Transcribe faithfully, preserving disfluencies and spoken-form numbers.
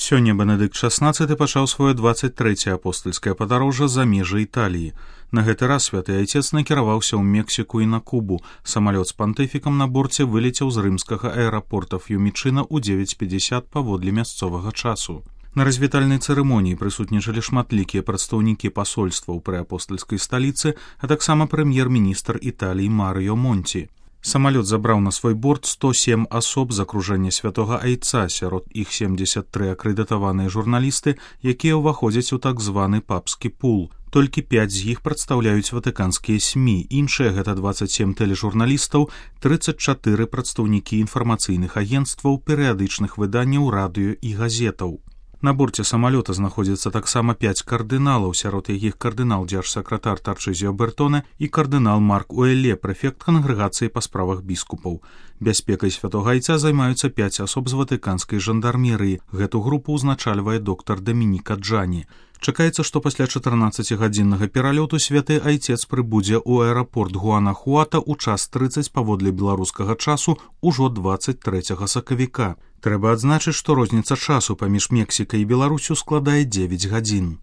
Сёння Бенедыкт шаснаццаты пачаў сваё дваццаць трэцяе апостальскае падарожжа за межы Італіі. На гэты раз святы айцец накіраваўся ў Мексіку і на Кубу. Самалёт з пантыфікам на борце вылецеў з рымскага аэрапорта Ф'юмічына ў дзевяць пятьдесят паводле мясцовага часу. На развітальнай цырымоніі прысутнічалі шматлікія прадстаўнікі пасольстваў пры апостальскай сталіцы, а таксама прэм'ер-міністр Італіі Марыё Монці. Самалёт забраў на свой борт сто сем асоб з акружэння святога айца, сярод іх семдзесят тры акрэдытаваныя журналісты, якія ўваходзяць у так званы папскі пул. Толькі пяць з іх прадстаўляюць ватыканскія СМІ, іншыя гэта дваццаць сем тэлежурналістаў, трыццаць чатыры прадстаўнікі інфармацыйных агенцтваў, перыядычных выданняў, радыё і газетаў. На борце самалёта знаходзіцца таксама пяць кардыналаў, сярод якіх кардынал дзяржсакратар Тарчызіо Бертоне і кардынал Марк Уэлле, прэфект кангрэгацыі па справах біскупаў. Бяспекай святога айца займаюцца пяць асоб з ватыканскай жандармерыі. Гэту групу ўзначальвае доктар Дамініка Джані. Чакаецца, што пасля чатырнаццацігадзіннага пералёту святы айцец прыбудзе ў аэрапорт Гуанахуата ў час трыццаць паводле беларускага часу ўжо дваццаць трэцяга сакавіка. Трэба адзначыць, што розніца часу паміж Мексікай і Беларусю складае дзевяць гадзін.